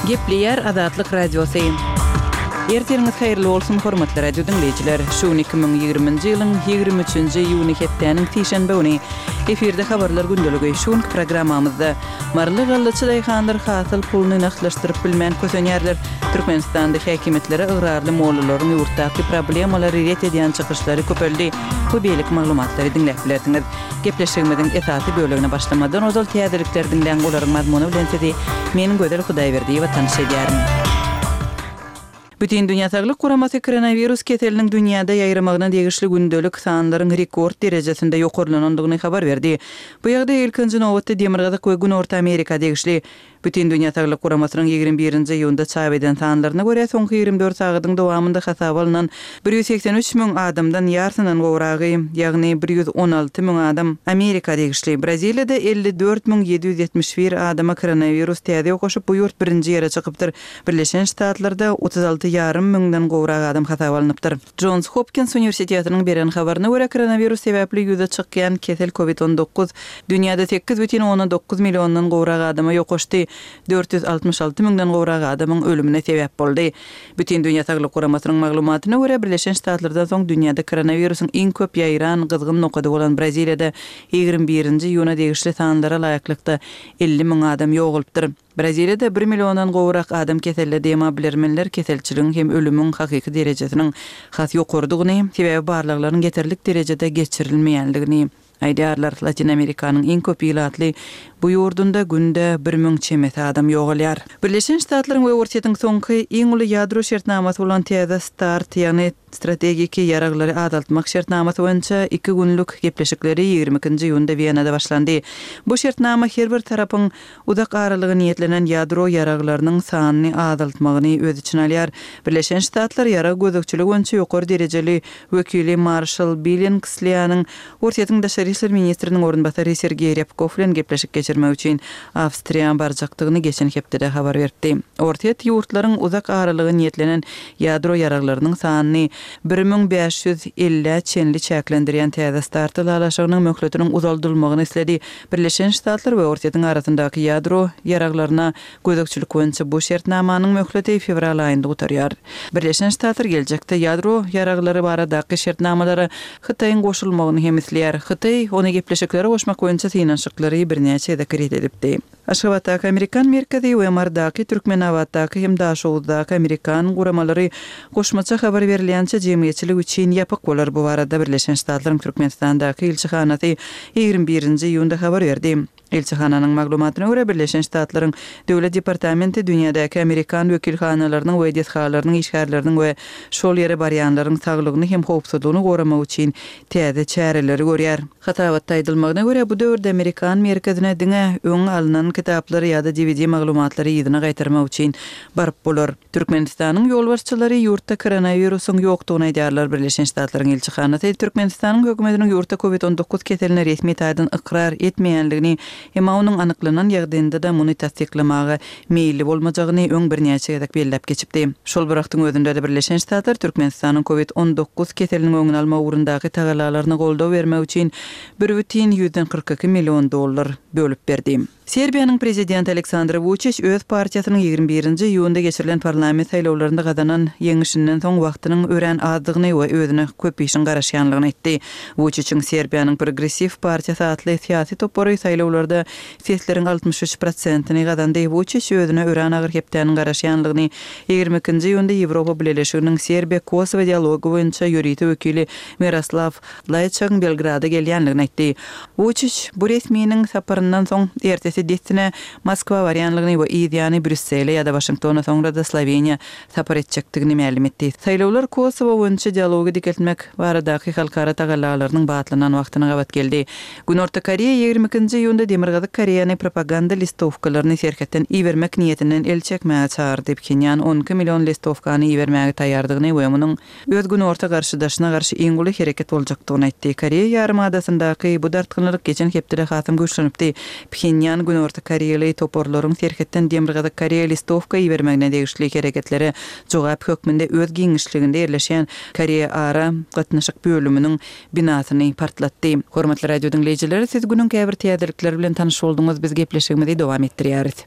Gepleýär Azatlyk Radiosy. Ertiriňiz haýyrly bolsun, hormatly radio diňleýjiler! Şu gün 2020-nji ýylyň 23-nji iýuny hepdäniň sişenbe güni. Efirde habarlar gündeligi. Şu günki programmamyzda Maryly gallaçy daýhanlar hasyl puluny nagtlaşdyryp bilmän kösenýärler. Türkmenistanda häkimiýetlere ygrarly mollalaryň ýurtdaky problemalary ret edýän çykyşlary köpeldi we beýleki maglumatlary diňläp bilersiňiz. Gepleşigimiziň esasy bölegine başlamazdan ozal täzelikleri diňläň, olaryň mazmuny bilen sizi men Gözel Hudaýberdiýewa tanyş edýärin. Bütindünýä Saglyk Guramasy koronawirus keseliniň dünýäde ýaýramagyna degişli gündelik sanlaryň rekord derejesinde ýokarlanandygyny habar berdi. Bu ýagdaý ilkinji nobatda Demirgazyk we Günorta Amerika degişli. Bütindünýä Saglyk Guramasynyň 21-nji iýunda çap eden sanlaryna görä, soňky 24 sagadyň dowamynda hasaba alnan 183 müň adamdan ýarsyndan gowragy, ýagny 116 müň adam Amerika degişli. Braziliýada 54 771 adama koronawirus täze ýokaşyp, bu ýurt birinji ýere çykypdyr. Birleşen Ştatlarda 36 ýarym müňden gowrak adam hasaba alnypdyr. Jons Hopkins uniwersitetiniň beren habaryna görä, koronawirus sebäpli ýüze çykýan kesel Covid 19 dünýäde 8,9 milliondan gowrak adama ýokaşdy, 466 müňden gowrak adamyň ölümine sebäp boldy. Bütindünýä Saglyk Guramasynyň maglumatyna görä, Birleşen Ştatlardan soň dünýäde koronawirusyň iň köp ýaýran gyzgyn nokady bolan Braziliýada 21-nji iýuna degişli sanlara laýyklykda 50 müň adam ýogalypdyr. Braziliýada bir milliondan gowrak adam keselledi, emma bilermenler keselçiligiň hem ölümiň hakyky derejesiniň has ýokarydygyny, sebäbi barlaglaryň ýeterlik derejede geçirilmeýändigini aýdýarlar. Latyn Amerikanyň iň köp ilatly bu ýurdunda günde 1000 çemesi adam ýogalýar. Birleşen Ştatlaryň we Orsýetiň soňky iň uly ýadro şertnamasy bolan täze start, ýagny Strategiki ýaraglary azaltmak şertnamasy boýunça iki günlük gepleşikleri 22-nji iýunda Wenada başlandy. Bu şertnama her bir tarapyň uzak aralyga niýetlenen ýadro ýaraglarynyň sanyny azaltmagyny öz içine alýar. Birleşen Ştatlar ýarag gözegçiligi boýunça ýokary derejeli wekili Marşal Billingslianyň Orsýetiň daşary işler ministriniň orunbasary Sergeý Rýabkow bilen gepleşik geçirmek üçin Awstriýa barjakdygyny geçen hepdede habar beripdi. Orsýet ýurtlaryň uzak aralyga niýetlenen ýadro ýaraglarynyň sanyny 1550-ä çenli çäklendirýän täze start ylalaşygynyň möhletiniň uzaldylmagyny isledi. Birleşen Ştatlar we Orsýetiň arasyndaky ýadro ýaraglaryna Gözegçilik boýunça bu şertnamanyň möhleti fewral aýynda gutarýar. Birleşen Ştatlar geljekde ýadro ýaraglary baradaky şertnamalara Hytaýyň goşulmagyny hem isleýär. Hytaý ony gepleşiklere goşmak boýunça synanyşyklary birnäçe gezek ret edipdi. Aşgabatdaky Amerikan merkezi we Marydaky, Türkmenabatdaky hem Daşoguzdaky amerikan guramalary goşmaça habar berilýänçä jemgyýetçilik üçin ýapyk bolar. Bu barada Birleşen Ştatlaryň Türkmenistandaky ilçihanasy 21-nji iýunda habar berdi. Ilçihananyň maglumatyna görä, Birleşen Ştatlaryň Döwlet departamenti dünýädäki amerikan wekilhanalarynyň we desgalarynyň işgärleriniň we şol ýere barýanlaryň saglygyny hem howpsuzlygyny goramak üçin täze çäreleri görýär. Hasabatda aýdylmagyna görä, bu döwürde amerikan merkezine diňe öň alnan kitaplary ýa-da DVD maglumatlary yzyna gaýtarmak üçin baryp bolar. Türkmenistanyň ýolbaşçylary ýurtda koronawirusyň ýokdugyny aýdýarlar Birleşen Ştatlaryň ilçihanasy Türkmenistanyň hökümetiniň ýurtda Covid 19 keselini resmi taýdan ykrar etmeýänligini, emma onuň anyklanan ýagdaýynda-da muny tassyklamaga meýilli bolmajagyny öň birnäçe gezek belläp geçipdi. Şol bir wagtyň özünde-de Birleşen Ştatlar Türkmenistanyň Covid 19 keseliniň öňüni almak ugrundaky tagallalaryna goldaw bermek üçin bir bütin 142 million dollar bölüp berdi. Serbiýanyň prezidenti Aleksandr Wuçiç öz partiýasynyň 21-nji iýunda geçirilen parlament saýlawlarynda gazanan ýeňişinden soň wagtynyň örän azdygyny we özüne köp işiň garaşýanlygyny aýtdy. Wuçiçiň Serbiýanyň Progressiw partiýasy atly syýasy topary saýlawlarda sesleriň 63 prosentini gazandy. Wuçiç özüne örän agyr hepdäniň garaşýanlygyny 22-nji iýunda Ýewropa Bileleşiginiň Serbiýa-Kosowo dialogy boýunça ýörite wekili Miroslaw Laýçagyň Belgrada gelýändigini aýtdy. Wuçiç bu resminiň saparyndan soň ertesi dessine Moskwa barýanlygyny we yz ýany Brýussele ýa-da Waşingtona soňra-da Sloweniýa sapar etjekdigini mälim etdi. Saýlawlar Kosowo boýunça dialogy dikeltmek baradaky halkara tagallalarynyň batlanan wagtyna gabat geldi. Günorta Koreýa 22-nji iýunda Demirgazyk Koreýany propaganda listowkalaryny serhetden ibermek niýetinden el çekmäge çagyrdy. Phenýan 12 million listowkany ibermäge taýýardygyny we munuň öz günorta garşydaşyna garşy iň uly hereket boljakdygyny aýtdy. Koreýa ýarymadasyndaky bu dartgynlylyk geçen hepdede hasam güýçlenipdi. Phenýan günorta koreýaly toparlaryň serhetden Demirgazyk Koreýa listowka ibermegine degişli hereketlere jogap hökmünde öz giňişliginde ýerleşýän Koreýa ara gatnaşyk bölüminiň binasyny partlatdy. Hormatly radio diňleýjiler, siz günüň käbir täzelikleri bilen tanyş bolduňyz, biz gepleşigimizi dowam etdirýäris.